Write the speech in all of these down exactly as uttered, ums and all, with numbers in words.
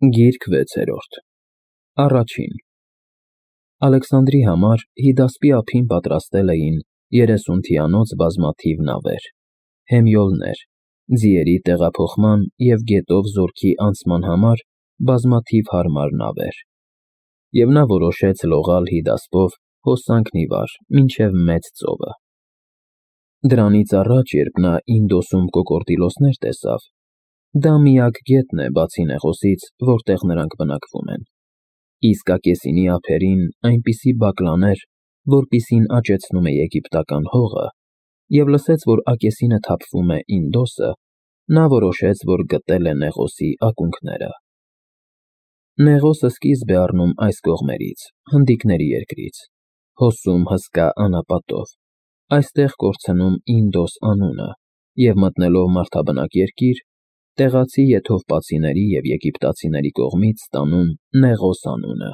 Գիրք վեցերորդ Առաջին Ալեքսանդրի համար հիդասպի ափին պատրաստել էին երեսուն թիանոց բազմաթիվ նավեր, հեմյոլներ, ձիերի տեղափոխման և գետով զորքի անցման համար բազմաթիվ հարմար նավեր, և նա որոշեց լողալ հիդասպով հոսանքն ի վար մինչև Մեծ ծովը։ Դրանից առաջ, երբ նա Ինդոսում կոկորդիլոսներ տեսավ, դա միակ գետն է, բացի Նեղոսից, որտեղ նրանք բնակվում են, իսկ Ակեսինի ափերին այնպիսի բակլաներ, որպիսին աճեցնում է եգիպտական հողը, և լսեց, որ Ակեսինը թափվում է Ինդոսը, նա որոշեց, որ գտել է Նեղոսի ակունքները։ Նեղոսը սկիզբ է առնում այս կողմերից, հնդիկների երկրից, հոսում հսկա անապատով, այստեղ կորցնում Ինդոս անունը և մտնելով մարդաբնակ երկիր, տեղացի եթովպացիների և եգիպտացիների կողմից ստանում Նեղոս անունը,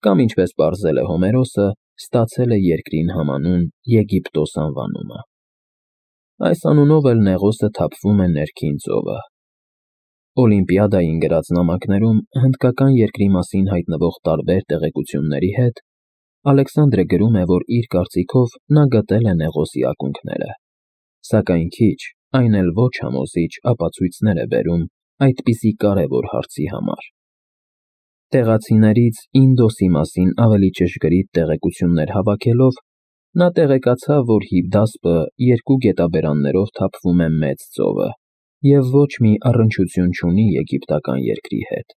կամ ինչպես պարզել է Հոմերոսը, ստացել է երկրին համանուն Եգիպտոս անվանումը։ Այս անունով էլ Նեղոսը թափվում է Ներքին ծովը։ Օլիմպիադային գրած նամակներում հնդկական երկրի մասին հայտնվող տարբեր տեղեկությունների հետ Ալեքսանդրը գրում է, որ իր կարծիքով նա գտել է Նեղոսի ակունքները, սակայն քիչ, այն էլ ոչ համոզիչ ապացույցներ է բերում այդպիսի կարևոր հարցի համար։ Տեղացիներից Ինդոսի մասին ավելի ճշգրիտ տեղեկություններ հավաքելով, նա տեղեկացավ, որ Հիվդասպը երկու գետաբերաններով թափվում է Մեծ ծովը և ոչ մի առնչություն չունի եգիպտական երկրի հետ։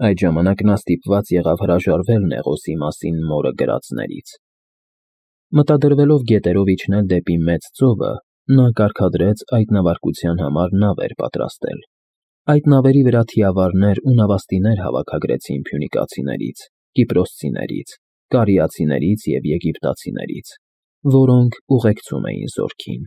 Այդ ժամանակ նա ստիպված եղավ հրաժարվել Նեղոսի մասին մորը գրածներից։ Մտադրվելով գետերով իջնել դեպի Մեծ ծովը, նա կարգադրեց այդ նավարկության համար նավեր պատրաստել։ Այդ նավերի վրա թիավարներ ու նավաստիներ հավաքագրեցին փյունիկացիներից, կիպրոսցիներից, կարիացիներից և եգիպտացիներից, որոնք ուղեկցում էին զորքին։